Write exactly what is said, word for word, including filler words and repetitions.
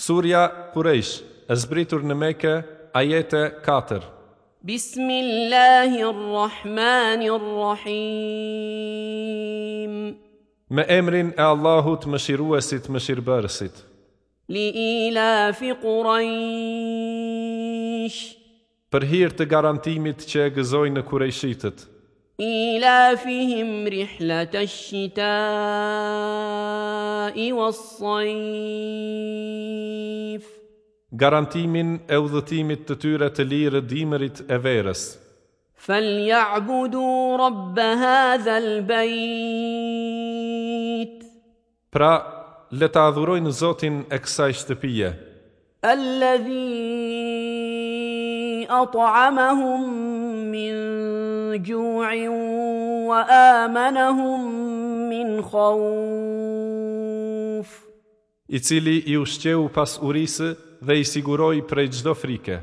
Surja Kurejsh, e zbritur në Mekë, ajete katër. بسم الله الرحمن الرحيم. Me emrin e Allahut, mëshiruesit, mëshirbërësit. لإيلاف قريش. Për hir të garantimit që e gëzojnë në Kurejshitët. إيلافهم رحلة الشتاء والصيف. Garantimin e udhëtimit të tyre të lirë dimrit e verës. فليعبدوا رب هذا البيت. Pra, le ta adhurojnë Zotin e kësaj shtëpie, الذي أطعمهم من جوع وآمنهم من خوف. I cili i ushqeu pas urisë dhe i siguroi prej çdo frike.